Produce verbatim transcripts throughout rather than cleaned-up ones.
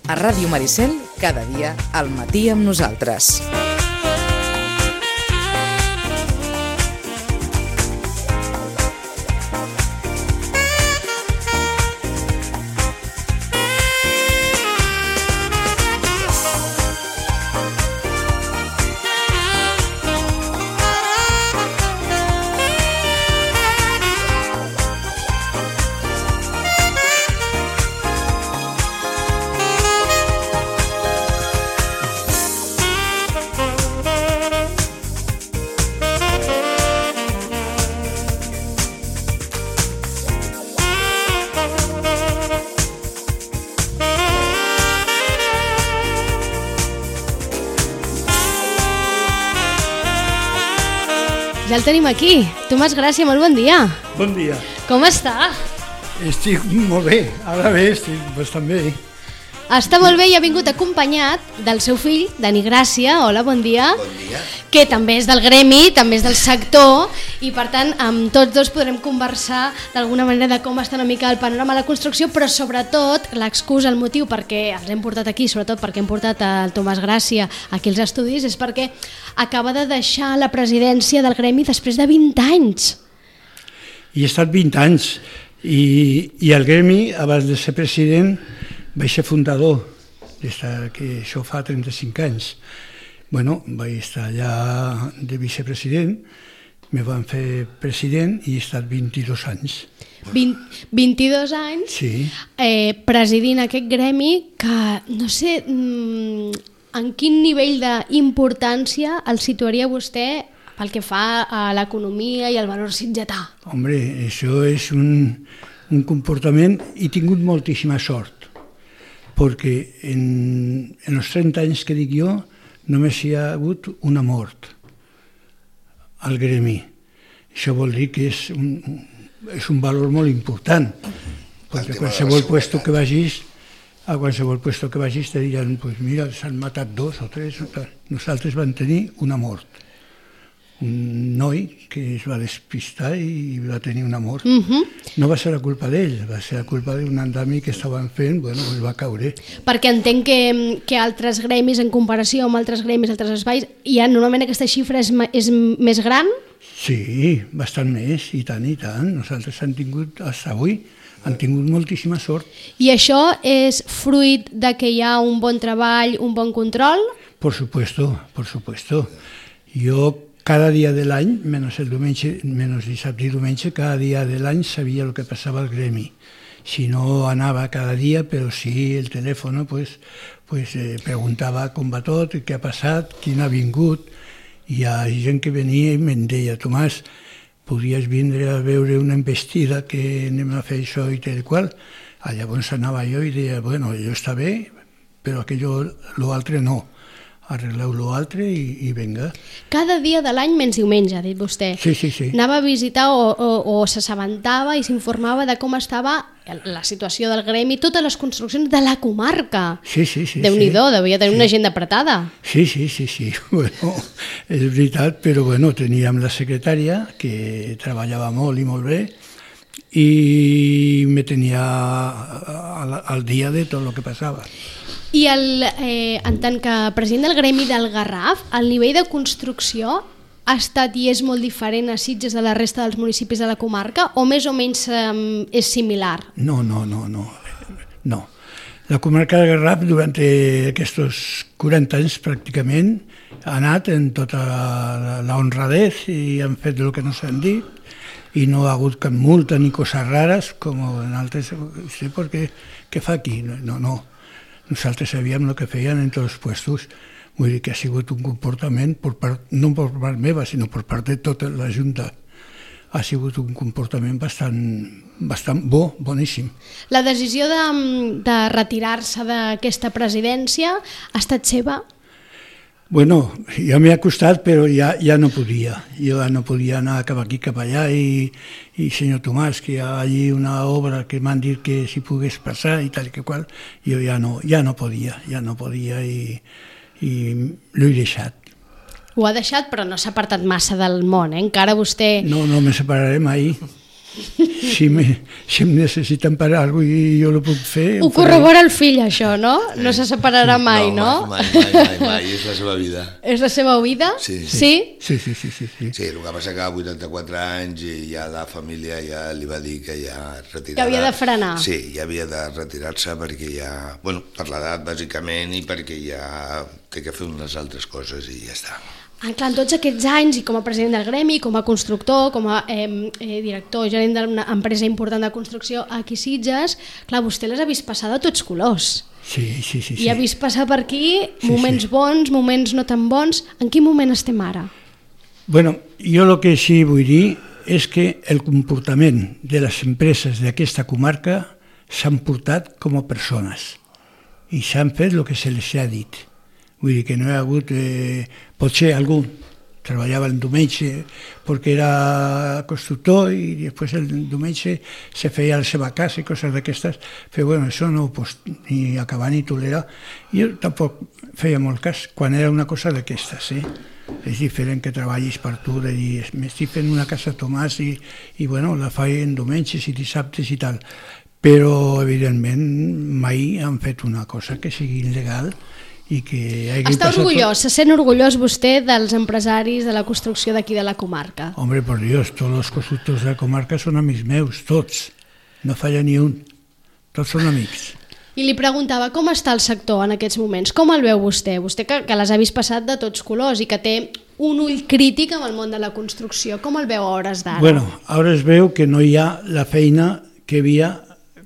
A Ràdio Maricel, cada dia al matí amb nosaltres. Ja el tenim aquí. Tomàs Gràcia, molt bon dia. Bon dia. Com està? Estic molt bé. Ara bé, estic bastant bé. Està molt bé i ha vingut acompanyat del seu fill, Dani Gràcia. Hola, bon dia. Bon dia. Que també és del gremi, també és del sector, i per tant amb tots dos podrem conversar d'alguna manera de com està una mica el panorama de la construcció, però sobretot l'excusa, el motiu perquè els hem portat aquí, sobretot perquè hem portat el Tomàs Gràcia aquí als estudis, és perquè acaba de deixar la presidència del gremi després de vint anys. I he estat vint anys, i, i el gremi, abans de ser president, vaig ser fundador, des que això fa trenta-cinc anys. Bueno, vaig estar allà de vicepresident, me van fer president i he estat vint-i-dos anys. vint, vint-i-dos anys Sí. eh, presidint aquest gremi que, no sé, en quin nivell d'importància el situaria vostè pel que fa a l'economia i al valor sitgetà? Hombre, això és un, un comportament, i he tingut moltíssima sort, perquè en, en els trenta anys que dic jo només hi ha hagut una mort al gremi. Això vol dir que és un, és un valor molt important, perquè a qualsevol puesto que vagis, a qualsevol puesto que vagis te diran, pues mira, s'han matat dos o tres, nosaltres vam tenir una mort. Un noi que es va despistar i va tenir una mort. Uh-huh. No va ser la culpa d'ell, va ser la culpa d'un andami que estaven fent, bueno, pues va caure. Perquè entenc que, que altres gremis, en comparació amb altres gremis, altres espais, hi ha normalment aquesta xifra és, és més gran? Sí, bastant més, i tant, i tant. Nosaltres hem tingut, fins avui, han tingut moltíssima sort. I això és fruit de que hi ha un bon treball, un bon control? Por supuesto, por supuesto. Jo cada dia de l'any, menys el diumenge, menys dissabte i diumenge, cada dia de l'any sabia el que passava al gremi. Si no anava cada dia, però sí el telèfon, pues, pues, eh, preguntava com va tot, què ha passat, quin ha vingut. Hi ha gent que venia i me'n deia, Tomàs, podries vindre a veure una embestida que anem a fer això i tal qual. Llavors anava jo i deia, bueno, allò està bé, però aquello, l'altre no. Arregleu l'altre i, i venga. Cada dia de l'any menys diumenge, ha dit vostè. Sí, sí, sí. Anava a visitar o, o, o s'assabentava i s'informava de com estava la situació del gremi, totes les construccions de la comarca. Sí, sí, sí. Déu-n'hi-do, sí. devia tenir sí. una agenda apretada. Sí, sí, sí, sí. Bueno, és veritat, però bueno, teníem la secretària que treballava molt i molt bé i me tenia al, al dia de tot el que passava. I el, eh, en tant que president del gremi del Garraf, el nivell de construcció ha estat i és molt diferent a Sitges de la resta dels municipis de la comarca o més o menys eh, és similar? No, no, no, no. no. La comarca del Garraf durant aquests quaranta anys pràcticament ha anat en tota la honradez i han fet el que no s'han dit i no ha hagut cap multa ni coses rares com en altres... Sí, perquè què fa aquí? No, no. Nosaltres sabíem el que feien en tots els puestos. Vull dir que ha sigut un comportament, per part, no per part meva, sinó per part de tota la Junta. Ha sigut un comportament bastant, bastant bo, boníssim. La decisió de, de retirar-se d'aquesta presidència ha estat seva? Bueno, ja m'ha costat, però ja, ja no podia. Jo ja no podia anar cap aquí, cap allà, i, i senyor Tomàs, que hi ha allí una obra que m'han dit que si pogués passar i tal i que qual, jo ja no, ja no podia, ja no podia i, i l'he deixat. Ho ha deixat, però no s'ha apartat massa del món, eh? Encara vostè... No, no me separaré mai. Si, me, si em necessiten per alguna cosa i jo ho puc fer... Ho corrobora el fill, això, no? No se separarà mai, no? Mai, mai, mai, mai, és la seva vida. És la seva vida? Sí. Sí? Sí, sí, sí. Sí, sí. Sí, el que passa que a vuitanta-quatre anys i ja la família ja li va dir que ja retirarà. Que havia de frenar. Sí, ja havia de retirar-se perquè ja... Bueno, per l'edat, bàsicament, i perquè ja té que fer unes altres coses i ja està. Ah, clar, en tots aquests anys, i com a president del gremi, com a constructor, com a eh, eh, director, gerent d'una empresa important de construcció aquí a Sitges, clar, vostè les ha vist passar de tots colors. Sí, sí, sí. I sí. ha vist passar per aquí moments sí. bons, moments no tan bons. En quin moment estem ara? Bueno, jo el que sí vull dir és que el comportament de les empreses d'aquesta comarca s'han portat com a persones i s'han fet el que se les ha dit. Vull dir que no hi ha hagut... Eh, potser algú treballava el diumenge perquè era constructor i després el diumenge se feia a la seva casa i coses d'aquestes, però bueno, això no ho pots ni acabar ni tolerar. Jo tampoc feia molt cas quan era una cosa d'aquestes, eh? És diferent que treballis per tu, de dir, m'estic fent una casa a Tomàs i, i bueno, la faig diumenges i dissabtes i tal, però evidentment mai han fet una cosa que sigui il·legal i que hagi Està passat... orgullós, se sent orgullós vostè dels empresaris de la construcció d'aquí de la comarca? Hombre, por Dios, todos los constructors de la comarca són amics meus, tots. No falla ni un. Tots són amics. I li preguntava com està el sector en aquests moments, com el veu vostè? Vostè que, que les ha vist passat de tots colors i que té un ull crític amb el món de la construcció, com el veu a hores d'ara? Bueno, ara es veu que no hi ha la feina que hi havia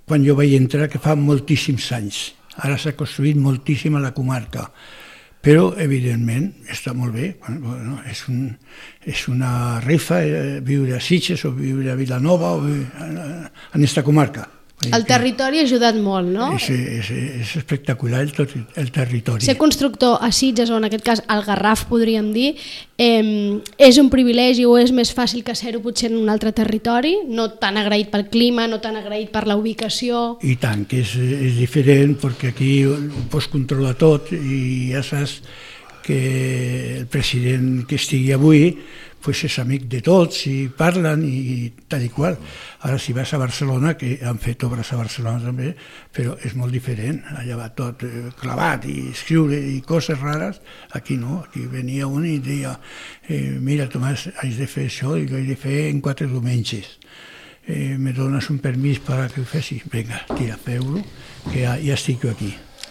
quan jo vaig entrar, que fa moltíssims anys. Ara s'ha construït moltíssim a la comarca, però evidentment està molt bé, bueno, és, un, és una rifa eh, viure a Sitges o viure a Vilanova o viure en aquesta comarca. El territori ha ajudat molt, no? És, és, és espectacular el, tot, el territori. Ser constructor a Sitges, o en aquest cas al Garraf, podríem dir, eh, és un privilegi o és més fàcil que ser-ho potser en un altre territori, no tan agraït pel clima, no tan agraït per la ubicació... I tant, que és, és diferent, perquè aquí ho pots controlar tot i ja saps que el president que estigui avui pues és amic de tots i parlen i tal i qual. Ara si vas a Barcelona, que han fet obres a Barcelona també, però és molt diferent, allà va tot clavat i escriure i coses rares, aquí no, aquí venia un i deia eh, mira Tomàs, haig de fer això i ho he de fer en quatre diumenges, eh, me dones un permís per que ho fessi? Vinga, tira, feu-lo, que ja, ja estic jo aquí.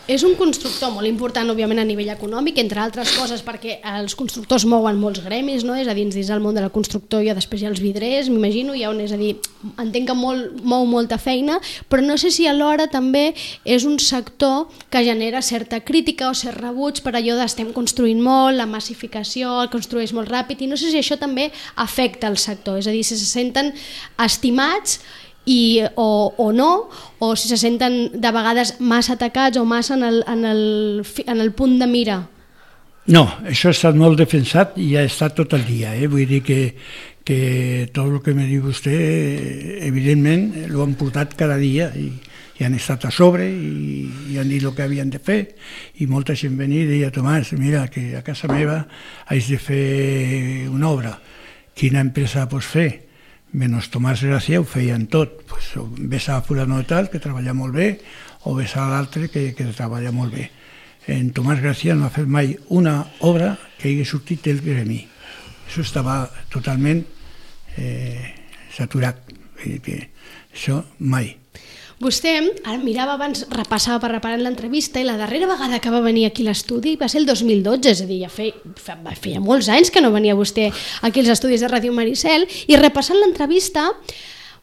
És un constructor molt important, òbviament, a nivell econòmic, entre altres coses perquè els constructors mouen molts gremis, no? És a dir, dins del món de la construcció i després hi ha els vidrers, m'imagino, hi ha un, és a dir, entenc que molt, mou molta feina, però no sé si alhora també és un sector que genera certa crítica o cert rebuig per allò d'estem construint molt, la massificació, el construeix molt ràpid, i no sé si això també afecta el sector, és a dir, si se senten estimats I, o, o no, o si se senten de vegades massa atacats o massa en el, en el, en el punt de mira. No, això ha estat molt defensat i ha estat tot el dia, eh? Vull dir que, que tot el que me diu vostè, evidentment, l'ho han portat cada dia i, i han estat a sobre i, i han dit el que havien de fer i molta gent venia i deia Tomàs, mira, que a casa meva haig de fer una obra, quina empresa pots fer? Menys Tomàs Gràcia ho feien tot, pues, ves a fulano de tal, que treballa molt bé, o ves a l'altre, que, que treballa molt bé. En Tomàs Gràcia no ha fet mai una obra que hagi sortit del gremi. Això estava totalment eh, saturat, que això mai. Vostè, ara mirava abans, repassava per reparar l'entrevista i la darrera vegada que va venir aquí a l'estudi va ser el dos mil dotze, és a dir, ja feia, feia molts anys que no venia vostè aquí als estudis de Ràdio Maricel, i repassant l'entrevista,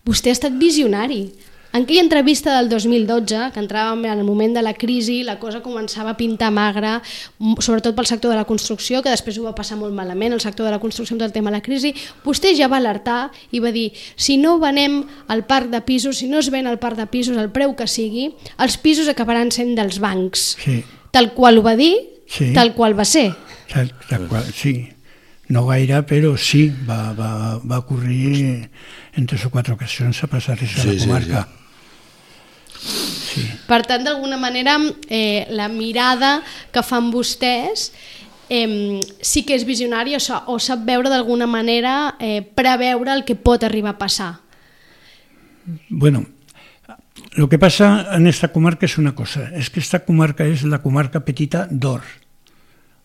vostè ha estat visionari. En aquella entrevista del dos mil dotze, que entràvem en el moment de la crisi, la cosa començava a pintar magra, sobretot pel sector de la construcció, que després ho va passar molt malament, el sector de la construcció amb tot el tema de la crisi, vostè ja va alertar i va dir, si no venem el parc de pisos, si no es ven el parc de pisos al preu que sigui, els pisos acabaran sent dels bancs. Sí. Tal qual ho va dir, sí. Tal qual va ser. Tal, tal qual, sí. No gaire, però sí, va, va, va ocorrir en tres o quatre ocasions a passar això a la comarca. Sí, sí. Sí. Per tant, d'alguna manera, eh, la mirada que fan vostès eh, sí que és visionària o sap veure d'alguna manera, eh, preveure el que pot arribar a passar. Bueno, lo que pasa en esta comarca és una cosa, és que esta comarca és la comarca petita d'Or.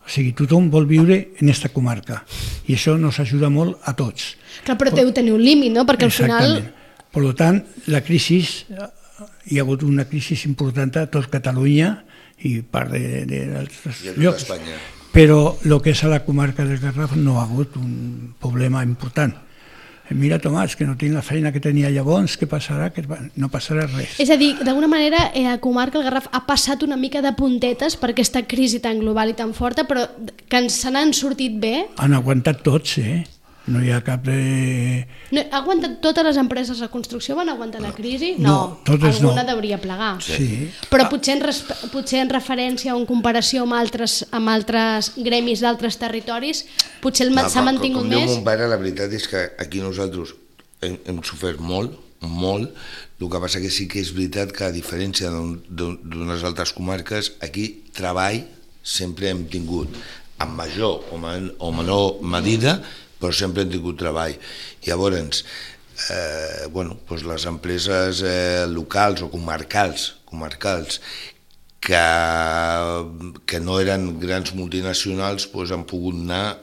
O sigui, tothom vol viure en esta comarca i això nos ajuda molt a tots. Clar, però deu tenir un límit, no? Perquè al final... Exactament. Per tant, la crisi, hi ha hagut una crisi important a tot Catalunya i part d'altres llocs. Però el que és a la comarca del Garraf no ha hagut un problema important. Mira, Tomàs, que no tinc la feina que tenia llavors, què passarà? Que no passarà res. És a dir, d'alguna manera, la comarca del Garraf ha passat una mica de puntetes per aquesta crisi tan global i tan forta, però que se n'han sortit bé. Han aguantat tots, eh? No hi ha cap de... No, ha aguantat totes les empreses de construcció? Van aguantar la crisi? No, no totes alguna no. Devia plegar. Sí. Però potser en, potser en referència o en comparació amb altres, amb altres gremis d'altres territoris, potser no, s'ha mantingut com, com més? Com diu mon pare, la veritat és que aquí nosaltres hem, hem sofert molt, molt. El que passa que sí que és veritat que a diferència d'unes altres comarques, aquí treball sempre hem tingut, en major o, man, o menor medida, però sempre hem tingut treball. Llavors, eh, bueno, doncs les empreses eh, locals o comarcals, comarcals que, que no eren grans multinacionals doncs han pogut anar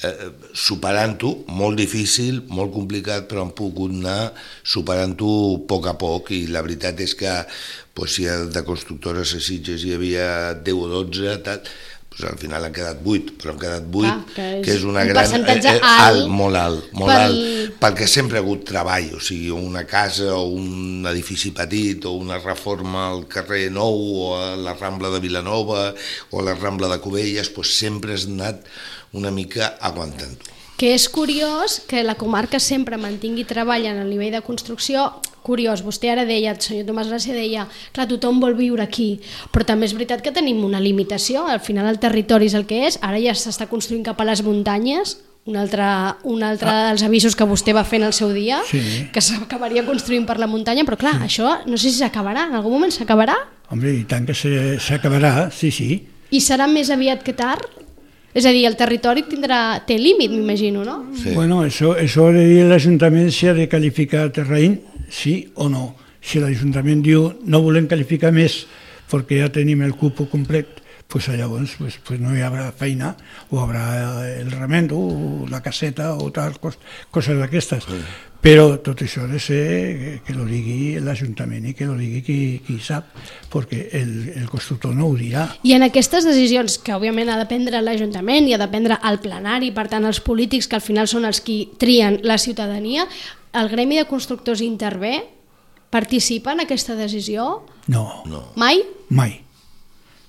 eh, superant-ho, molt difícil, molt complicat, però han pogut anar superant-ho a poc a poc, i la veritat és que doncs, si de constructores a Sitges hi havia deu o dotze, tal, pues al final han quedat vuit, però han quedat vuit, ah, que, és que és una un gran... percentatge eh, alt, alt, molt alt, molt pel... alt, perquè sempre ha hagut treball, o sigui, una casa o un edifici petit o una reforma al carrer Nou o a la Rambla de Vilanova o a la Rambla de Cubelles, pues sempre has anat una mica aguantant-ho. Que és curiós que la comarca sempre mantingui treball en el nivell de construcció. Curiós, vostè ara deia, el senyor Tomàs Gràcia deia, clar, tothom vol viure aquí, però també és veritat que tenim una limitació, al final el territori és el que és, ara ja s'està construint cap a les muntanyes, un altre, un altre ah. dels avisos que vostè va fer en el seu dia, sí. que s'acabaria construint per la muntanya, però clar, sí. això no sé si s'acabarà, en algun moment s'acabarà? Home, i tant que s'acabarà, sí, sí. I serà més aviat que tard? És a dir, el territori tindrà, té límit, m'imagino, no? Sí. Bueno, això, això de dir l'Ajuntament si ha de qualificar terreny, sí o no. Si l'Ajuntament diu no volem qualificar més perquè ja tenim el cupo complet, pues llavors pues, pues no hi haurà feina, o haurà el remendo, o la caseta, o tal, cos, coses d'aquestes. Sí. Però tot això ha de ser que lo digui l'Ajuntament i que lo digui qui, qui sap, perquè el, el constructor no ho dirà. I en aquestes decisions, que òbviament ha de prendre l'Ajuntament i ha de prendre el plenari, per tant els polítics, que al final són els qui trien la ciutadania, el gremi de constructors intervé? Participa en aquesta decisió? No. no. Mai? Mai.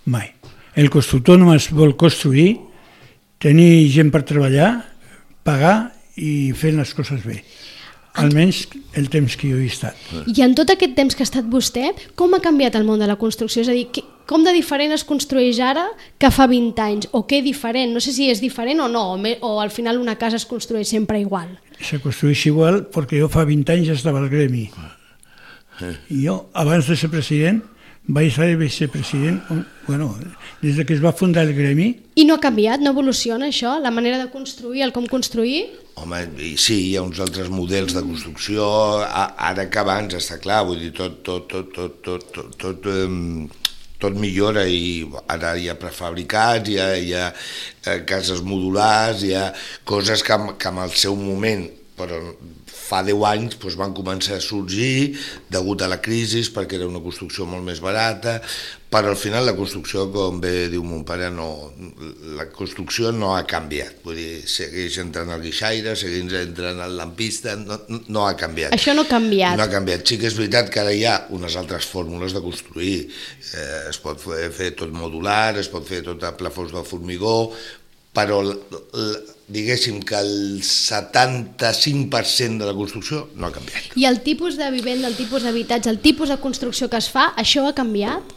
Mai. El constructor només vol construir, tenir gent per treballar, pagar i fer les coses bé. Almenys el temps que jo he estat. I en tot aquest temps que ha estat vostè, com ha canviat el món de la construcció? És a dir, com de diferent es construeix ara que fa vint anys? O què diferent? No sé si és diferent o no, o al final una casa es construeix sempre igual. Se construeix igual perquè jo fa vint anys estava al gremi. I jo, abans de ser president, vaig ser vicepresident, bueno, des que es va fundar el gremi. I no ha canviat, no evoluciona això, la manera de construir, el com construir? Home, sí, hi ha uns altres models de construcció, ara que abans, està clar, vull dir, tot, tot, tot, tot, tot, tot, tot, tot, tot millora, i ara hi ha prefabricats, hi ha, hi ha cases modulars, hi ha coses que, que en el seu moment, però fa deu anys doncs van començar a sorgir degut a la crisi, perquè era una construcció molt més barata, però al final la construcció, com bé diu mon pare, no, la construcció no ha canviat, vull dir, segueix entrant el guixaire, segueix entrant el lampista, no, no ha canviat. Això no ha canviat. No ha canviat. Sí que és veritat que ara hi ha unes altres fórmules de construir, eh, es pot fer, fer tot modular, es pot fer tot a plafons de formigó, però diguéssim que el setanta-cinc per cent de la construcció no ha canviat. I el tipus de vivenda, el tipus d'habitatge, el tipus de construcció que es fa, això ha canviat?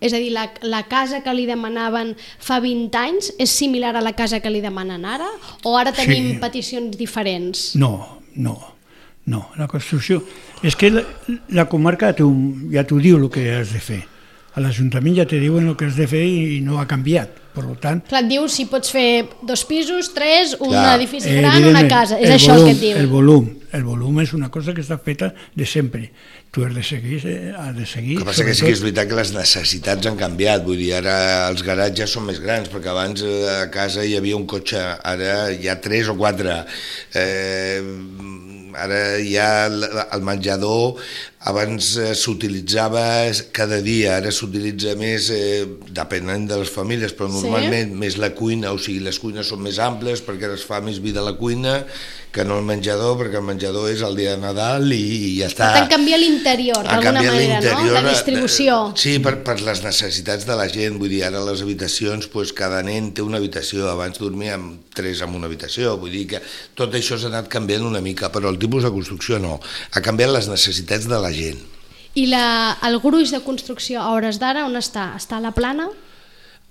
És a dir, la, la casa que li demanaven fa vint anys és similar a la casa que li demanen ara? O ara tenim sí. peticions diferents? No, no, no. La construcció... És que la, la comarca ja t'ho diu el que has de fer. A l'Ajuntament ja te diuen el que has de fer i no ha canviat, Per tant... Clar, et diu si pots fer dos pisos, tres, un Clar, edifici gran, una casa. És això volum, el que et diu. El volum, el volum és una cosa que està feta de sempre. Tu has de seguir, eh, has de seguir... El que passa que sí que és veritat que les necessitats han canviat, vull dir, ara els garatges són més grans, perquè abans a casa hi havia un cotxe, ara hi ha tres o quatre, eh, ara hi ha el menjador, abans eh, s'utilitzava cada dia, ara s'utilitza més, eh, depenent de les famílies, però normalment sí? més la cuina, o sigui, les cuines són més amples perquè es fa més vida a la cuina que no el menjador, perquè el menjador és el dia de Nadal i, i ja està. Per tant, canvia l'interior, d'alguna manera, no? La distribució. Sí, per, per les necessitats de la gent, vull dir, ara les habitacions, doncs, cada nen té una habitació, abans dormíem tres en una habitació, vull dir que tot això s'ha anat canviant una mica, però el tipus de construcció no, ha canviat les necessitats de la gent. I la, el gruix de construcció a hores d'ara on està? Està a la Plana?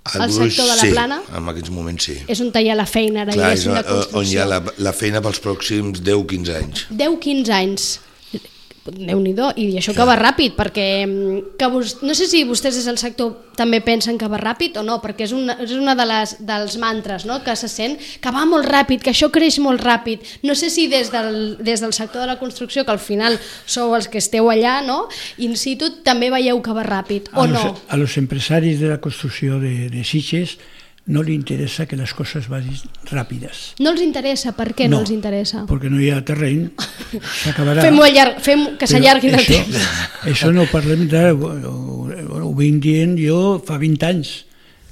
El, el gruix, sector de la sí, Plana? en aquests moments sí. És on hi ha la feina ara, clar, diguéssim, de construcció. On hi ha la, la feina pels pròxims deu a quinze anys. deu a quinze anys. Déu-n'hi-do, i això que va ràpid, perquè que vos, no sé si vostès des del sector també pensen que va ràpid o no, perquè és una, és una de les, dels mantres, no?, que se sent que va molt ràpid, que això creix molt ràpid. No sé si des del, des del sector de la construcció, que al final sou els que esteu allà, no?, in situ, també veieu que va ràpid, o a no? Los, a los empresaris de la construcció de, de Sitges no li interessa que les coses vagin ràpides. No els interessa? Per què no, no els interessa? Perquè no hi ha terreny, s'acabarà. Fem-ho llarg, fem que s'allargui el temps. Això no parlem de... Ho, ho, ho vinc dient jo fa vint anys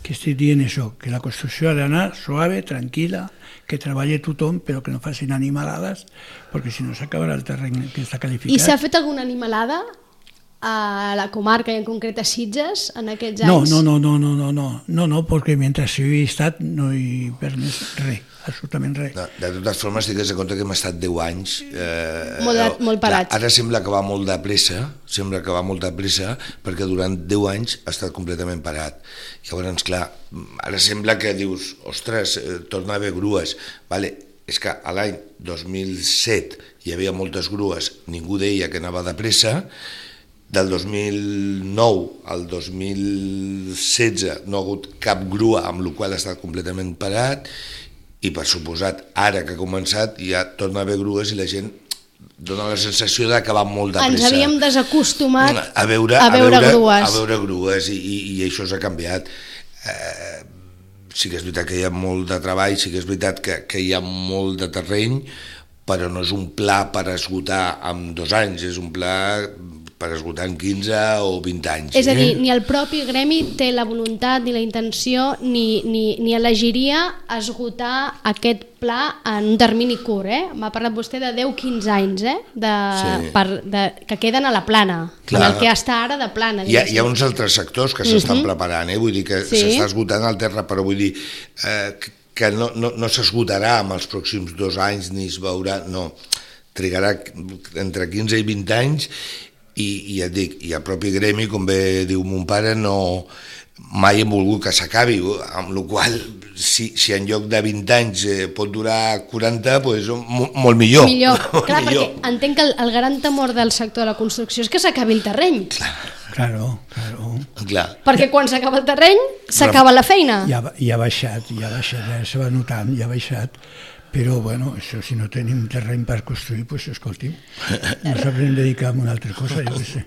que estic dient això, que la construcció ha d'anar suave, tranquil·la, que treballi tothom, però que no facin animalades, perquè si no s'acabarà el terreny que està qualificat. I s'ha fet alguna animalada a la comarca i en concret a Sitges en aquests no, anys? No, no, no, no, no, no, no, no, perquè mentre hi he estat no hi he permès res, absolutament res. De, de totes formes, digues de compte que hem estat deu anys... Eh, molt, de, molt parats. Clar, ara sembla que va molt de pressa, sembla que va molt de pressa, perquè durant deu anys ha estat completament parat. Llavors, clar, ara sembla que dius, ostres, eh, torna a haver grues, vale, és que a l'any dos mil set hi havia moltes grues, ningú deia que anava de pressa, del dos mil nou al dos mil setze no ha hagut cap grua, amb la qual ha estat completament parat, i per suposat, ara que ha començat, ja torna a haver grues i la gent dona la sensació que va molt de pressa. Ens havíem desacostumat a veure, a veure, a veure grues. A veure grues i, i, i això s'ha canviat. Eh, sí que és veritat que hi ha molt de treball, sí que és veritat que, que hi ha molt de terreny, però no és un pla per esgotar en dos anys, és un pla per esgotar en quinze o vint anys. És a dir, ni el propi gremi té la voluntat ni la intenció ni, ni, ni elegiria esgotar aquest pla en un termini curt, eh? M'ha parlat vostè de deu a quinze anys, eh? De, sí. per, de, que queden a la plana, clar, en el que està ara de plana. Hi ha, hi ha uns altres sectors que s'estan uh-huh. preparant, eh? Vull dir que sí. s'està esgotant el terra, però vull dir eh, que no, no, no s'esgotarà en els pròxims dos anys ni es veurà, no, trigarà entre quinze i vint anys. I, i ja et dic, i el propi gremi, com bé diu mon pare, no, mai hem volgut que s'acabi, amb la qual si, si en lloc de vint anys eh, pot durar quaranta, doncs molt millor. Millor, molt clar, millor. Perquè entenc que el, el gran temor del sector de la construcció és que s'acabi el terreny. Clar. Claro, claro. Clar. Perquè quan s'acaba el terreny, s'acaba la feina. Ja, ja ha baixat, ja ha baixat, ja se va notant, ja ha baixat. Però, bueno, això, si no tenim terreny per construir, doncs, escolti'm, no sabrem dedicar a una altra cosa, jo què sé.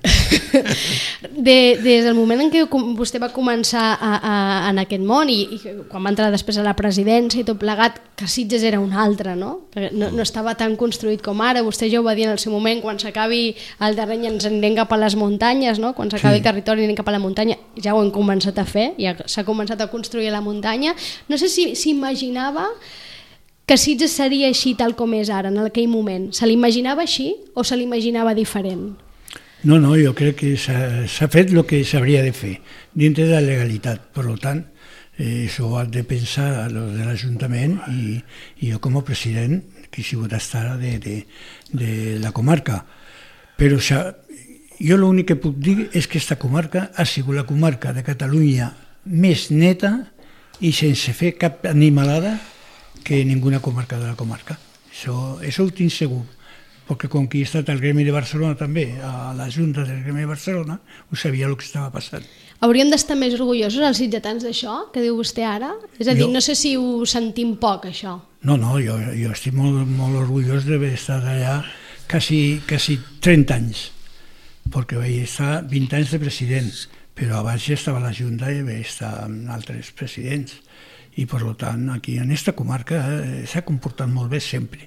De, des del moment en què vostè va començar a, a, en aquest món i, i quan va entrar després a la presidència i tot plegat, que Sitges era un altre, no? Que no, no estava tan construït com ara, vostè ja ho va dir en el seu moment, quan s'acabi el terreny ens anem cap a les muntanyes, no? Quan s'acabi sí. el territori anem cap a la muntanya, ja ho hem començat a fer, ja s'ha començat a construir a la muntanya. No sé si s'imaginava que Sitges seria així tal com és ara, en aquell moment. Se l'imaginava així o se l'imaginava diferent? No, no, jo crec que s'ha fet el que s'hauria de fer, dintre de la legalitat. Per tant, eh, això ho ha de pensar a los de l'Ajuntament i, i jo com a president, que he sigut estar de, de, de la comarca. Però jo l'únic que puc dir és que aquesta comarca ha sigut la comarca de Catalunya més neta i sense fer cap animalada que ninguna comarca de la comarca. Això, això ho tinc segur, perquè com que he estat al Gremi de Barcelona també, a la Junta del Gremi de Barcelona, ho sabia el que estava passant. Hauríem d'estar més orgullosos els sitgetans d'això, que diu vostè ara? És a dir, Jo- no sé si ho sentim poc, això. No, no, jo, jo estic molt, molt orgullós d'haver estat allà quasi, quasi trenta anys, perquè vaig estar vint anys de president, però abans ja estava a la Junta i vaig estar amb altres presidents. I, per tant, aquí en aquesta comarca eh, s'ha comportat molt bé sempre.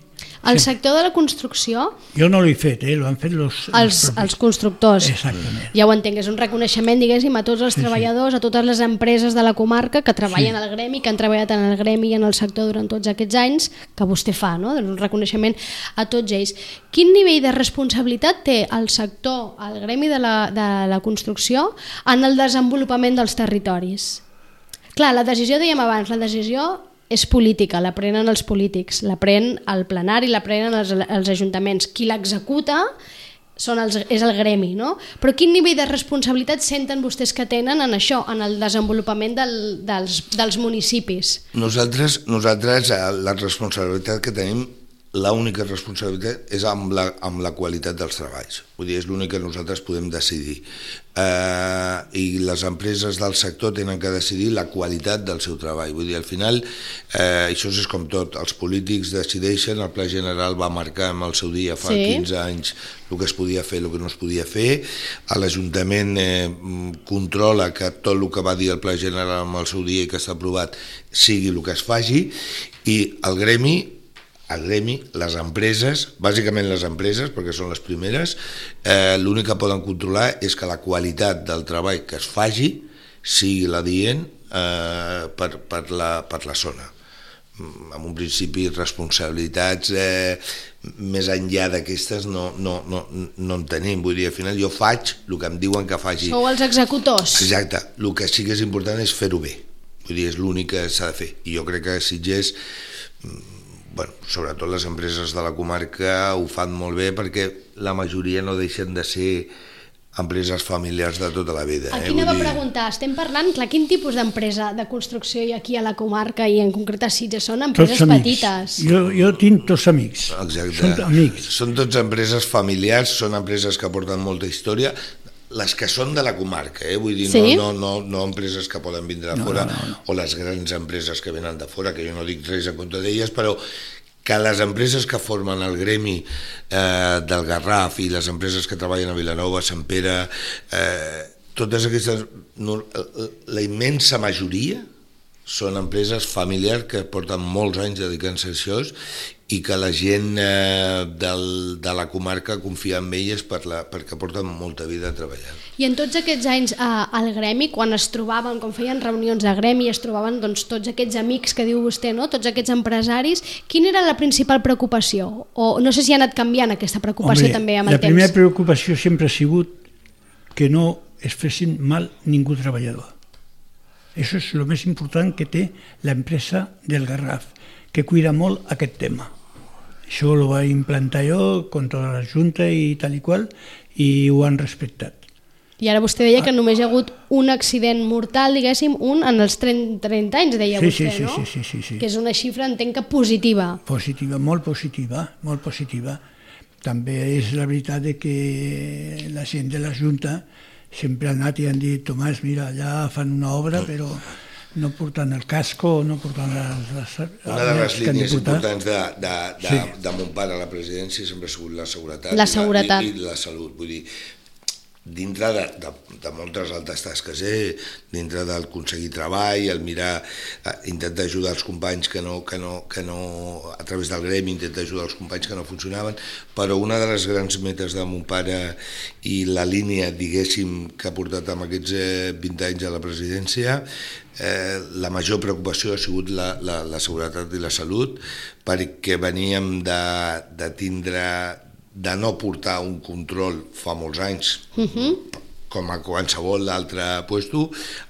El sector de la construcció, Jo no l'he fet, eh? L'ho han fet los, els, los propis. els constructors, Exactament. ja ho entenc, és un reconeixement, diguéssim, a tots els Sí, sí. treballadors, a totes les empreses de la comarca que treballen Sí. al gremi, que han treballat en el gremi i en el sector durant tots aquests anys, que vostè fa, no? Doncs un reconeixement a tots ells. Quin nivell de responsabilitat té el sector, el gremi de la, de la construcció, en el desenvolupament dels territoris? Clar, la decisió, dèiem abans, la decisió és política, la prenen els polítics, la pren el plenari, la prenen els, els ajuntaments. Qui l'executa són els, és el gremi, no? Però quin nivell de responsabilitat senten vostès que tenen en això, en el desenvolupament del, dels, dels municipis? Nosaltres, nosaltres eh, la responsabilitat que tenim, l'única responsabilitat és amb la, amb la qualitat dels treballs. Vull dir, és l'únic que nosaltres podem decidir. Eh, I les empreses del sector tenen que decidir la qualitat del seu treball. Vull dir, al final, eh, això és com tot, els polítics decideixen, el Pla General va marcar en el seu dia fa Sí. quinze anys el que es podia fer, el que no es podia fer, l'Ajuntament eh, controla que tot el que va dir el Pla General en el seu dia i que està aprovat sigui el que es faci, i el gremi el gremi, les empreses, bàsicament les empreses, perquè són les primeres, eh, l'únic que poden controlar és que la qualitat del treball que es faci sigui l'adient eh, per, per, la, per la zona. Amb un principi responsabilitats eh, més enllà d'aquestes no, no, no, no en tenim. Vull dir, al final jo faig el que em diuen que faci. Sou els executors. Exacte, el que sí que és important és fer-ho bé. Vull dir, és l'únic que s'ha de fer. I jo crec que a Sitges, bueno, sobretot les empreses de la comarca ho fan molt bé, perquè la majoria no deixen de ser empreses familiars de tota la vida. Aquí eh? anava a Vull dir, preguntar, estem parlant, clar, quin tipus d'empresa de construcció hi ha aquí a la comarca i en concret a Sitges? Són Tots empreses amics. petites. Jo, jo tinc tots amics. Exacte. Són amics. Són tots empreses familiars, són empreses que porten molta història, les que són de la comarca, eh? Vull dir, Sí? no, no, no, no empreses que poden vindre de No, fora, no, no, no. o les grans empreses que venen de fora, que jo no dic res en contra d'elles, però que les empreses que formen el gremi eh, del Garraf i les empreses que treballen a Vilanova, Sant Pere, eh, totes aquestes, no, la immensa majoria són empreses familiars que porten molts anys dedicant-se a això i que la gent eh, del, de la comarca confia en elles per la, perquè porten molta vida treballant. I en tots aquests anys eh, al gremi, quan es trobaven, quan feien reunions de gremi, es trobaven doncs, tots aquests amics que diu vostè, no? Tots aquests empresaris, quina era la principal preocupació? O no sé si ha anat canviant aquesta preocupació Hombre, també amb el la primera temps. preocupació sempre ha sigut que no es fessin mal ningú treballador. Això és el més important que té l'empresa del Garraf, que cuida molt aquest tema. Això ho vaig implantar jo con tota la Junta i tal i qual, i ho han respectat. I ara vostè deia que només hi ha hagut un accident mortal, diguéssim, un en els trenta anys, deia Sí, vostè, sí, sí, no? sí, sí, sí, sí. Que és una xifra, entenc que positiva. Positiva, molt positiva, molt positiva. També és la veritat de que la gent de la Junta sempre ha anat i han dit, Tomàs, mira, allà fan una obra, però no portant el casco, no portant les... les Una de les que han de línies portar. importants de, de, de, Sí. de mon pare a la presidència sempre ha sigut la seguretat, La seguretat. I, la, i, i la salut. Vull dir, dintre de, de, de moltes altres tasques, eh? Dintre del aconseguir treball, el mirar, eh, intentar ajudar els companys que no, que no, que no, a través del gremi, intentar ajudar els companys que no funcionaven, però una de les grans metes de mon pare i la línia, diguéssim, que ha portat amb aquests eh, vint anys a la presidència, eh, la major preocupació ha sigut la, la, la seguretat i la salut, perquè veníem de, de tindre de no portar un control fa molts anys, uh-huh. com a qualsevol altre puesto,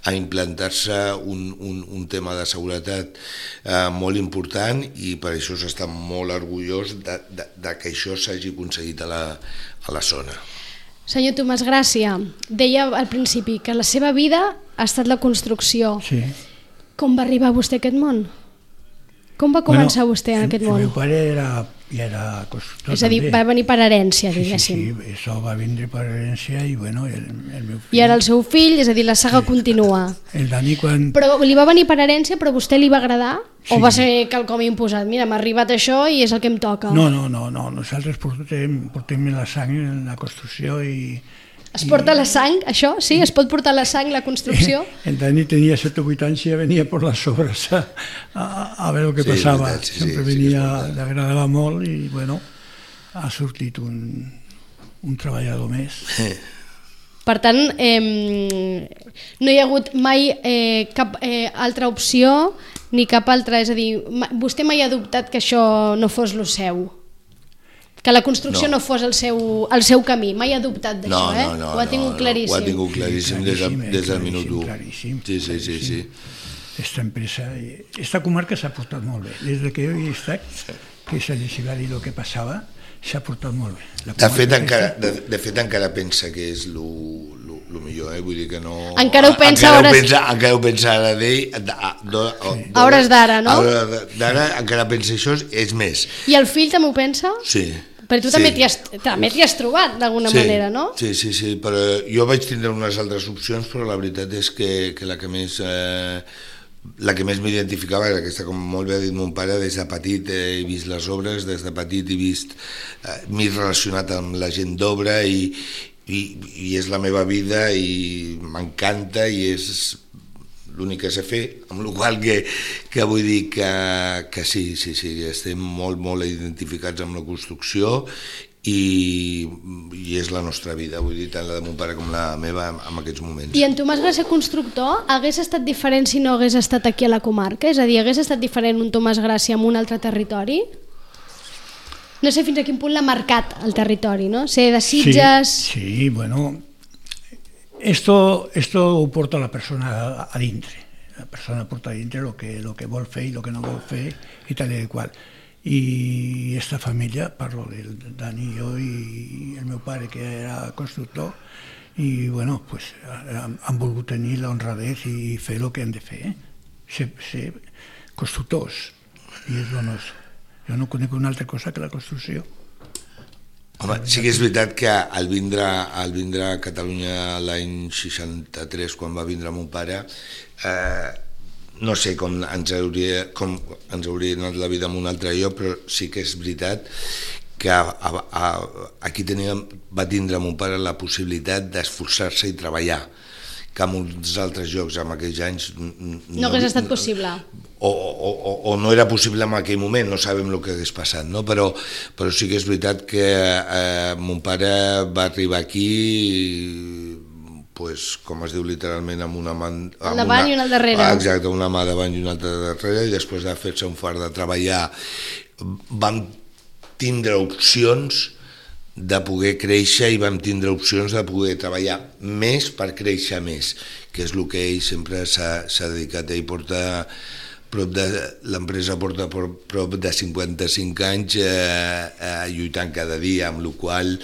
a implantar-se un, un, un tema de seguretat eh, molt important, i per això s'està molt orgullós de, de, de que això s'hagi aconseguit a la, a la zona. Senyor Tomàs Gràcia, deia al principi que la seva vida ha estat la construcció. Sí. Com va arribar vostè a aquest món? Com va començar bueno, vostè en aquest món? El meu pare era, ja era constructor. És a dir, també. va venir per herència, diguéssim. Sí, sí, sí, això va vindre per herència i bueno, el, el meu fill... I ara el seu fill, és a dir, la saga sí. continua. El Dani quan... Però li va venir per herència, però a vostè li va agradar? Sí. O va ser quelcom imposat? Mira, m'ha arribat això i és el que em toca. No, no, no, no. Nosaltres portem, portem la sang en la construcció i... Es porta la sang, això? Sí? Es pot portar la sang, la construcció? El Dani tenia set o vuit anys i ja venia per les obres a, a, a veure el que sí, passava. Veritat, sí, sempre sí, venia, sí li agradava molt i bueno, ha sortit un, un treballador més. Per tant, eh, no hi ha hagut mai eh, cap eh, altra opció ni cap altra, és a dir, vostè mai ha dubtat que això no fos lo seu? Que la construcció no, no fos el seu, el seu camí, mai ha dubtat d'això, no, eh? No, no, ho ha tingut no, claríssim. No, ho ha tingut claríssim, sí, claríssim des, des del minut u. Claríssim, sí, sí, sí, sí. Esta empresa, esta comarca s'ha portat molt bé. Des que jo hi he estat, que se li va dir el que passava, s'ha portat molt bé. De fet, encara, de, de fet, encara pensa que és lo, lo, lo millor, eh? Vull dir que no... Encara ho pensa encara hores... Ho pensa, encara ho pensa ara d'ell, sí. a hores d'ara, no? A hores d'ara encara pensa això, és més. I el fill també ho pensa? Sí. Però tu sí. també t'hi has, has trobat d'alguna sí. manera, no? Sí, sí, sí, però jo vaig tindre unes altres opcions, però la veritat és que, que la que més... Eh, la que més m'identificava era aquesta, com molt bé ha dit mon pare, des de petit he vist les obres, des de petit he vist, eh, m'he relacionat amb la gent d'obra i, i, i és la meva vida i m'encanta i és l'únic que sé fer, amb la qual que, que vull dir que, que sí, sí, sí, estem molt, molt identificats amb la construcció i, i és la nostra vida, vull dir, tant la de mon pare com la meva en aquests moments. I en Tomàs Gràcia constructor hagués estat diferent si no hagués estat aquí a la comarca? És a dir, hagués estat diferent un Tomàs Gràcia en un altre territori? No sé fins a quin punt l'ha marcat el territori, no? Ser de Sitges... Sí, sí, bueno, esto, esto ho porta la persona a, a dintre. La persona porta a dintre lo que, lo que vol fer i lo que no vol fer i tal i qual. I esta família, parlo del Dani i jo i el meu pare que era constructor i bueno, pues, han, han volgut tenir l'honradez i fer el que han de fer, eh? ser, ser constructors i és el nostre. Jo no conec una altra cosa que la construcció. Home, sí que és veritat que al vindre, al vindre a Catalunya l'any seixanta-tres, quan va vindre mon pare, eh, no sé com ens, hauria, com ens hauria anat la vida en un altre lloc, però sí que és veritat que a, a, a, aquí teníem, va tindre mon pare la possibilitat d'esforçar-se i treballar, que en uns altres llocs en aquells anys... No, no hagués estat possible. O, o, o, o no era possible en aquell moment, no sabem el que hagués passat, no? però, però sí que és veritat que eh, mon pare va arribar aquí... Pues, com es diu literalment, amb una mà... Amb davant una, i una al darrere. Exacte, una mà davant i una altra darrere, i després de fer-se un fart de treballar vam tindre opcions de poder créixer i vam tindre opcions de poder treballar més per créixer més, que és el que ell sempre s'ha dedicat. Ell porta prop de... L'empresa porta prop de cinquanta-cinc anys eh, eh, lluitant cada dia, amb la qual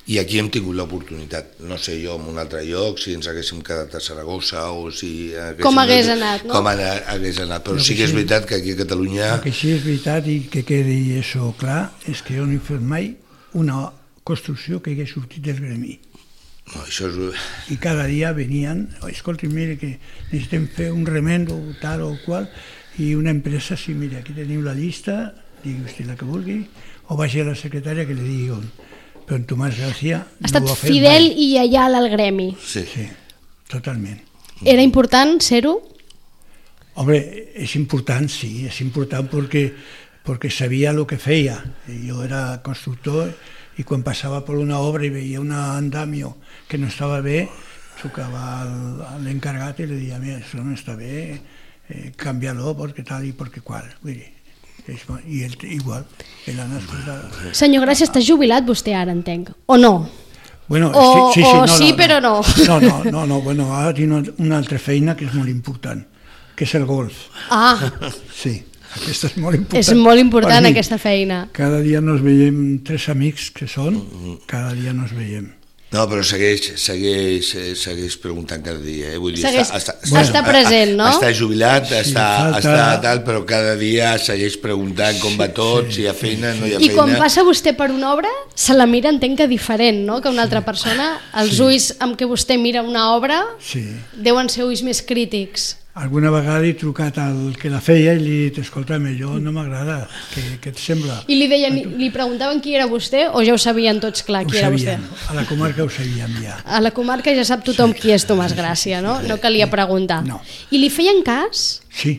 i aquí hem tingut l'oportunitat, no sé jo, en un altre lloc, si ens haguéssim quedat a Saragossa o si... Com hagués anat, no? Com hagués anat, però sí que és veritat que aquí a Catalunya... El que sí és veritat i que quedi això clar és que jo no he fet mai una construcció que hagués sortit del gremi. No, això és... I cada dia venien, escolti, mire que necessitem fer un remendo tal o qual, i una empresa, sí, mira, aquí teniu la llista, digui vostè la que vulgui, o vagi a la secretària que li digui on. Però en Tomàs Gràcia no ho ha fet mai. Ha estat fidel i lleial al gremi. Sí, sí, totalment. Era important ser-ho? Home, és important, sí, és important perquè, perquè sabia el que feia. Jo era constructor i quan passava per una obra i veia un andamio que no estava bé, trucava a l'encarregat i li deia, mira, això no està bé, eh, canvia-lo perquè tal i perquè qual. Vull dir, i ell igual, ell ha escoltat. Senyor Gràcia, està jubilat vostè ara, entenc, o no? Bueno, o sí, sí, sí, o no, sí no, però no. No, no, no, no, bueno, ara tinc una altra feina que és molt important, que és el golf. Ah. Sí, aquesta és molt important. És molt important aquesta feina. Cada dia nos veiem, tres amics que són, cada dia nos veiem. No, però segueix, segueix, segueix preguntant cada dia. Eh? Vull dir, segueix, està, està, bueno, està present, no? Està jubilat, sí, està, falta... està tal, però cada dia segueix preguntant com va tot, sí, si hi ha feina, no hi ha I feina. I quan passa vostè per una obra, se la mira, entenc que diferent, no?, que una altra persona. Els sí. ulls amb què vostè mira una obra sí. deuen ser ulls més crítics. Alguna vegada he trucat al que la feia i li he dit, escolta'm, allò no m'agrada, què, què et sembla? I li deien, li preguntaven qui era vostè o ja ho sabien tots clar qui ho era sabien. vostè? A la comarca ho sabíem ja. A la comarca ja sap tothom sí. qui és Tomàs Gràcia, no? No calia preguntar. No. I li feien cas? Sí,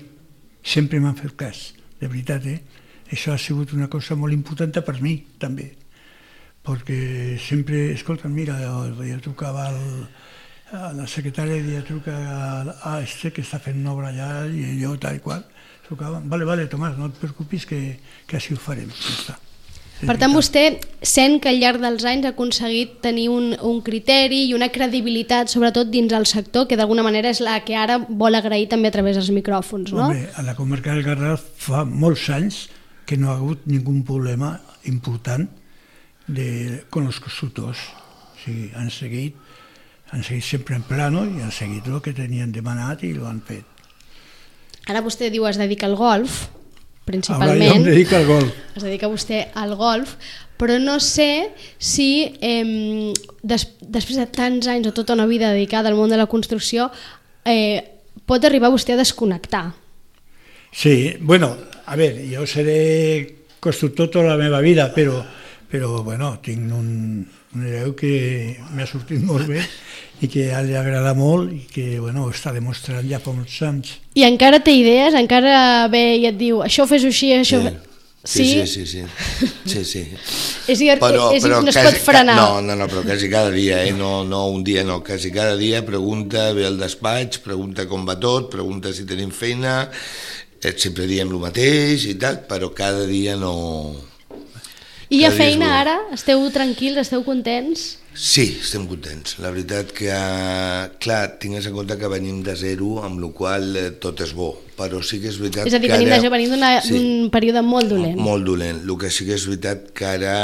sempre m'han fet cas, de veritat, eh? Això ha sigut una cosa molt important per mi, també, perquè sempre, escolta, mira, jo trucava al... la secretària dia truca a este que està fent una obra allà i jo tal i qual, trucava, vale, vale, Tomàs, no et preocupis que, que així ho farem. Ja està. Per tant, vostè sent que al llarg dels anys ha aconseguit tenir un, un criteri i una credibilitat, sobretot dins el sector, que d'alguna manera és la que ara vol agrair també a través dels micròfons, no? Home, a la comarca del Garraf fa molts anys que no ha hagut ningú problema important de, con els constructors. O sigui, han seguit han seguit sempre en plano i han seguit el que tenien demanat i ho han fet. Ara vostè diu es dedica al golf, principalment. Ara jo em dedico al golf. Es dedica vostè al golf, però no sé si eh, des, després de tants anys o tota una vida dedicada al món de la construcció eh, pot arribar vostè a desconnectar. Sí, bueno, a veure, jo seré constructor tota la meva vida, però, però bueno, tinc un, un hereu que m'ha sortit molt bé i que a ell li agrada molt i que bueno, està demostrant ja fa molts anys. I encara té idees? Encara ve i et diu això fes-ho així, això... Sí, sí, sí, sí, sí, sí, sí. És dir, però, és dir però no es quasi, pot frenar. No, no, no, però quasi cada dia, eh? no, no un dia no, quasi cada dia pregunta, ve al despatx, pregunta com va tot, pregunta si tenim feina, sempre diem el mateix i tal, però cada dia no... I hi ha feina ara? Esteu tranquils, esteu contents? Sí, estem contents. La veritat que, clar, tingues en compte que venim de zero, amb la qual cosa tot és bo, però sí que és veritat que ara... És a dir, venim de zero, venim d'un sí, període molt dolent. Molt dolent. El que sí que és veritat que ara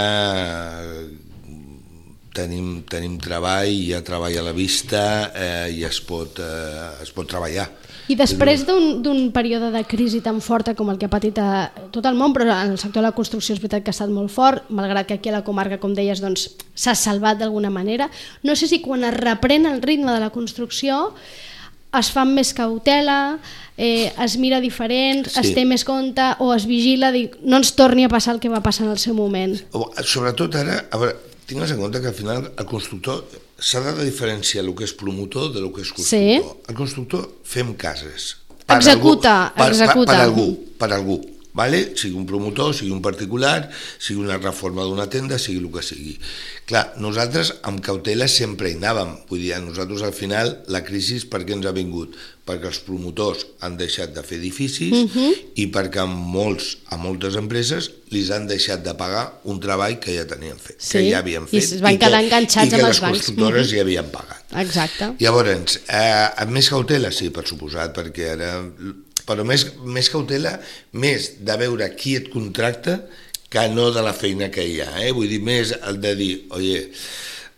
tenim, tenim treball, hi ha treball a la vista eh, i es pot, eh, es pot treballar. I després d'un període de crisi tan forta com el que ha patit a tot el món, però en el sector de la construcció és veritat que ha estat molt fort, malgrat que aquí a la comarca, com deies, doncs, s'ha salvat d'alguna manera. No sé si quan es reprèn el ritme de la construcció es fa amb més cautela, eh, es mira diferent, sí. es té més compte o es vigila, dic, no ens torni a passar el que va passar en el seu moment. Sobretot ara, a veure, tingues en compte que al final el constructor s'ha de diferenciar el que és promotor de el que és constructor. Sí. El constructor fem cases. Per executa, algú, per, executa. Per, per algú, per algú. Vale? Sigui un promotor, sigui un particular, sigui una reforma d'una tenda, sigui el que sigui. Clar, nosaltres amb cautela sempre hi anàvem. Vull dir, a nosaltres al final la crisi per què ens ha vingut? Perquè els promotors han deixat de fer edificis uh-huh. i perquè a, molts, a moltes empreses li han deixat de pagar un treball que ja tenien fet, sí. que ja havien fet. I es van quedar enganxats amb els bancs. I que les constructores uh-huh. ja havien pagat. Exacte. Llavors, eh, amb més cautela, sí, per suposat, perquè ara... Però més, més cautela, més de veure qui et contracta que no de la feina que hi ha. Eh? Vull dir, més el de dir, oye,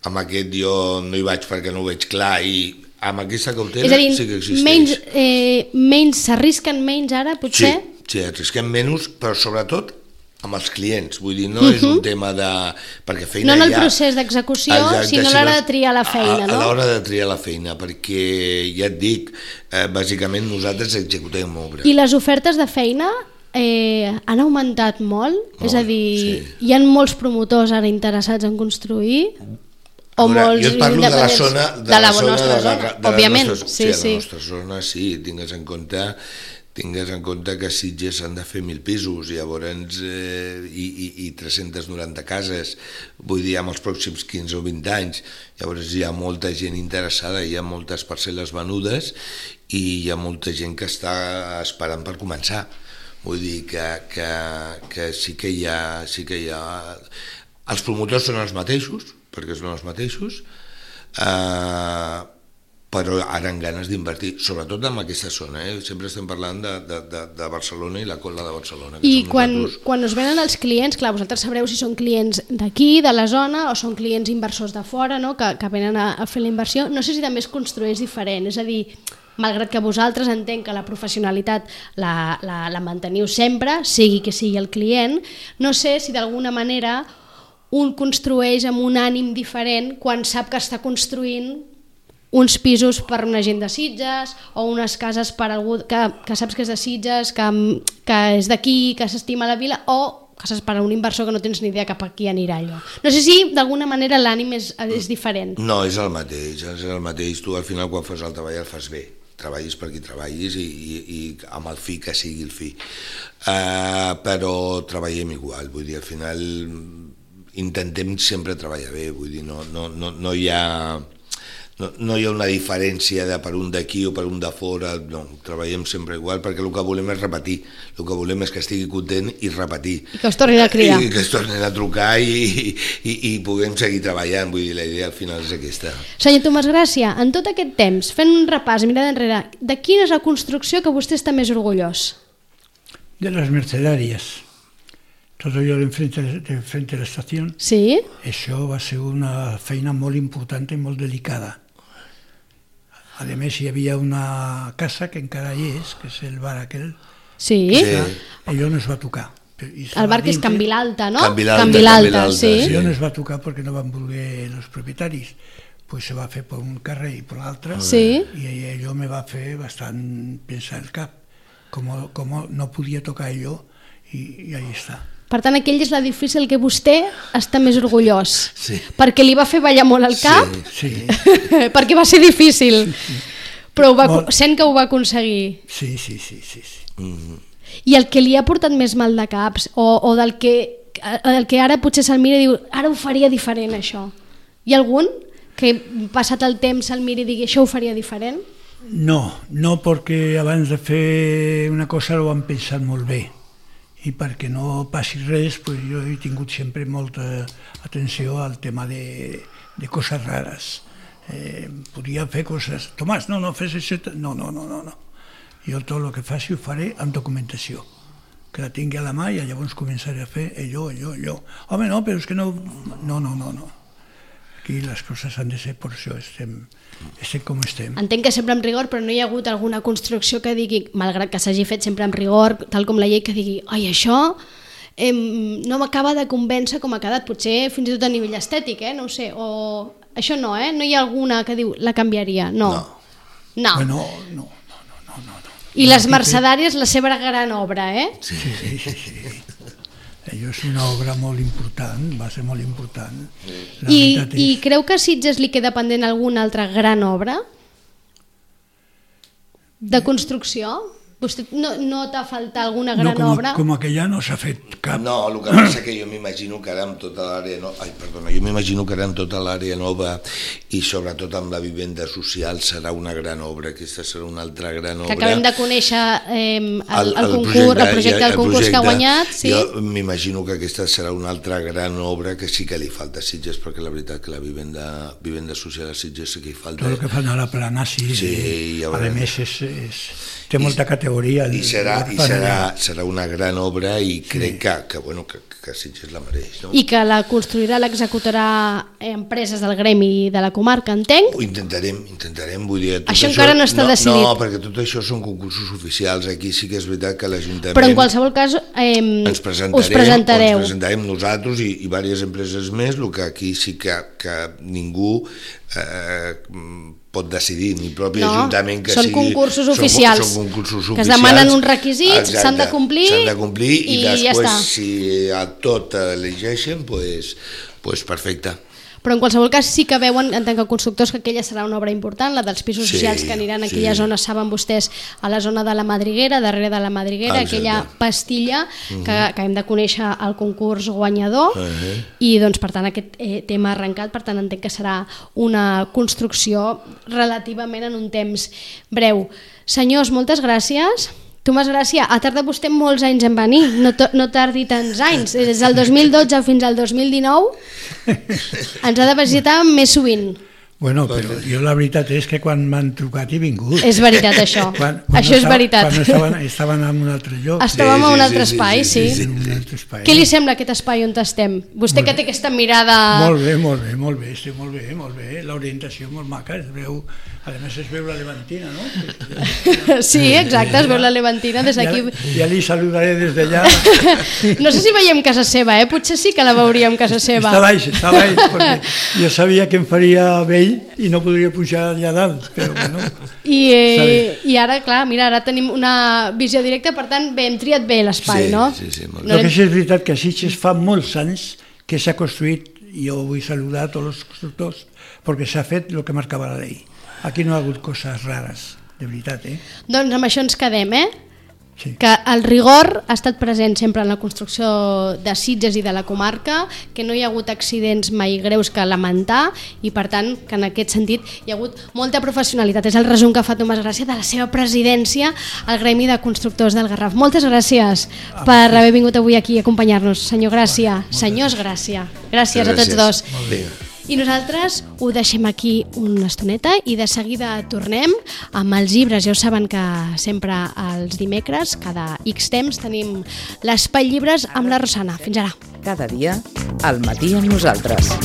amb aquest jo no hi vaig perquè no ho veig clar i amb aquesta cautela dir, sí que existeix. Menys, eh, menys, s'arrisquen menys ara, potser? Sí, sí, arrisquem menys, però sobretot amb els clients, vull dir, no uh-huh. és un tema de... perquè feina no en el ja... procés d'execució, sinó a l'hora de triar la feina, a, no? A l'hora de triar la feina, perquè ja et dic, eh, bàsicament nosaltres executem obra. I les ofertes de feina eh, han augmentat molt? molt és a dir, sí. hi ha molts promotors ara interessats en construir? O veure, molts jo et parlo de la zona de, de la, la zona, nostra de la, zona, de òbviament. Nostra, sí, sí, sí. la nostra zona, sí, tingues en compte... tingues en compte que a Sitges s'han de fer mil pisos llavors, eh, i, i, i tres-centes noranta cases, vull dir, amb els pròxims quinze o vint anys. Llavors hi ha molta gent interessada, hi ha moltes parcel·les venudes i hi ha molta gent que està esperant per començar. Vull dir que, que, que sí que hi ha... Sí que hi ha... Els promotors són els mateixos, perquè són els mateixos, eh, però ara amb ganes d'invertir, sobretot en aquesta zona, eh? Sempre estem parlant de, de, de, de Barcelona i la cola de Barcelona. I quan, quan us venen els clients, clar, vosaltres sabreu si són clients d'aquí, de la zona, o són clients inversors de fora, no? que, que venen a, a fer la inversió, no sé si també es construeix diferent, és a dir, malgrat que vosaltres entenc que la professionalitat la, la, la manteniu sempre, sigui que sigui el client, no sé si d'alguna manera un construeix amb un ànim diferent quan sap que està construint uns pisos per una gent de Sitges o unes cases per algú que, que saps que és de Sitges, que, que és d'aquí, que s'estima la vila, o cases per a un inversor que no tens ni idea cap a qui anirà allò. No sé si d'alguna manera l'ànim és, és diferent. No, és el mateix, és el mateix. Tu al final quan fas el treball el fas bé. Treballis per qui treballis i, i, i amb el fi que sigui el fi. Uh, però treballem igual, vull dir, al final intentem sempre treballar bé, vull dir, no, no, no, no hi ha... No, no hi ha una diferència de per un d'aquí o per un de fora, no, treballem sempre igual perquè el que volem és repetir, el que volem és que estigui content i repetir. I que us tornin a cridar. I que es tornin a trucar i, i, i puguem seguir treballant, vull dir, la idea al final és aquesta. Senyor Tomàs Gràcia, en tot aquest temps, fent un repàs, mirada enrere, de quina és la construcció que vostè està més orgullós? De les mercedàries. Tot allò d'enfrente de l'estació. Sí? Això va ser una feina molt important i molt delicada. A més, hi havia una casa que encara hi és, que és el bar aquell. Sí. Que allò no es va tocar. El bar que és Can Vilalta, no? Can Vilalta, Can Vilalta, sí. Allò no es va tocar perquè no van voler els propietaris. Pues se va fer per un carrer i per l'altre. Sí. I allò me va fer bastant pensar el cap. Com, com no podia tocar allò i, i ahí està. Per tant, aquell és la difícil que vostè està més orgullós. Sí. Perquè li va fer ballar molt el cap, Sí, sí. perquè va ser difícil, Sí, sí. però ho va, Molt. sent que ho va aconseguir. Sí, sí, sí, sí, sí. Mm-hmm. I el que li ha portat més mal de caps, o, o del, que, del que ara potser se'l mira i diu, ara ho faria diferent això. Hi ha algun que passat el temps se'l miri i digui, això ho faria diferent? No, no, perquè abans de fer una cosa ho han pensat molt bé. I perquè no passi res, pues jo he tingut sempre molta atenció al tema de, de coses rares. Eh, podria fer coses... Tomàs, no, no, fes això... No, no, no, no, no. Jo tot el que faci ho faré amb documentació, que la tingui a la mà i llavors començaré a fer allò, allò, allò. Home, no, però és que no... No, no, no, no. Aquí les coses han de ser per això, estem, estem com estem. Entenc que sempre amb rigor, però no hi ha hagut alguna construcció que digui, malgrat que s'hagi fet sempre amb rigor, tal com la llei, que digui, ai, això eh, no m'acaba de convèncer com ha quedat, potser fins i tot a nivell estètic, eh? No ho sé, o això no, eh? No hi ha alguna que diu, la canviaria, no. No. No. Bueno, no, no, no, no, no. I les Mercedàries, la seva gran obra, eh? Sí, sí, sí, sí. Allò és una obra molt important, va ser molt important. La I, veritat I és... creu que a Sitges li queda pendent alguna altra gran obra de construcció? Vostè no, no t'ha faltat alguna gran no, com, obra? Com aquella no s'ha fet cap. No, el que passa que jo m'imagino que ara amb tota l'àrea nova, ai, perdona, jo m'imagino que ara amb tota l'àrea nova i sobretot amb la vivenda social serà una gran obra, aquesta serà una altra gran obra. Que acabem de conèixer eh, el, el, el, concurs, projecte, el projecte del concurs projecte, que ha guanyat. Sí? Jo m'imagino que aquesta serà una altra gran obra que sí que li falta a Sitges, perquè la veritat que la vivenda, vivenda social a Sitges sí que hi falta. Tot el que fan a la plana, sí, sí i, ja a més és, és, té molta I, categoria. I, serà, i serà, serà una gran obra i crec sí. que, que, bueno, que, que Sitges la mereix. No? I que la construirà, l'executarà empreses del gremi de la comarca, entenc? Ho intentarem, intentarem. Vull dir, tot això, això encara no està no, decidit. No, perquè tot això són concursos oficials. Aquí sí que és veritat que l'Ajuntament... Però en qualsevol cas eh, ens presentarem, us presentareu. Ens presentarem nosaltres i, i diverses empreses més, el que aquí sí que, que ningú eh, pot decidir, ni el propi no, Ajuntament que són sigui... Concursos oficials, són, són concursos que oficials. Es demanen uns requisits, s'han de complir, s'han de complir i, i després, ja està. Si a tot elegeixen, pues, pues perfecte. Però en qualsevol cas sí que veuen, en tant que constructors, que aquella serà una obra important, la dels pisos sí, socials que aniran a aquella sí. zona, saben vostès, a la zona de la Madriguera, darrere de la Madriguera, exacte. Aquella pastilla uh-huh. que, que hem de conèixer el concurs guanyador uh-huh. i doncs per tant aquest eh, tema arrencat, per tant entenc que serà una construcció relativament en un temps breu. Senyors, moltes gràcies. Tomàs Gràcia, ha tardat vostè molts anys en venir, no, no tardi tants anys, des del dos mil dotze fins al dos mil dinou ens ha de visitar més sovint. Bueno, però jo la veritat és que quan m'han trucat he vingut. És veritat, això. Quan, quan això és estava, veritat. Quan estaven, estaven en un altre lloc. Estàvem Sí, a un sí, altre sí, espai, sí, sí. sí, sí. En un altre espai. Què li sembla aquest espai on estem? Vostè que té aquesta mirada... Molt bé, molt bé, molt bé, estic molt bé, molt bé. L'orientació molt maca, es veu, a més es veu la Levantina, no? Sí, exacte, es veu la Levantina des d'aquí. Ja, ja li saludaré des d'allà. No sé si veiem casa seva, eh? Potser sí que la veuríem casa seva. Està baix, està baix, perquè jo sabia que em faria vell i no podria pujar allà dalt, però bueno. I, eh, I ara, clar, mira, ara tenim una visió directa, per tant, bé, hem triat bé l'espai, Sí, no? sí, sí, molt bé. No, que sí és veritat que a Sitges fa molts anys que s'ha construït, i jo vull saludar a tots els constructors, perquè s'ha fet el que marcava la llei. Aquí no ha hagut coses rares, de veritat, eh? Doncs amb això ens quedem, eh? Sí. Que el rigor ha estat present sempre en la construcció de Sitges i de la comarca, que no hi ha hagut accidents mai greus que lamentar i per tant que en aquest sentit hi ha hagut molta professionalitat. És el resum que fa Tomàs Gràcia de la seva presidència al Gremi de Constructors del Garraf. Moltes gràcies per haver vingut avui aquí a acompanyar-nos. Senyor Gràcia, senyors Gràcia. Gràcies a tots dos. Vinga. I nosaltres ho deixem aquí una estoneta i de seguida tornem amb els llibres. Ja ho saben que sempre els dimecres, cada X temps, tenim l'espai llibres amb la Rosana. Fins ara. Cada dia, al matí amb nosaltres.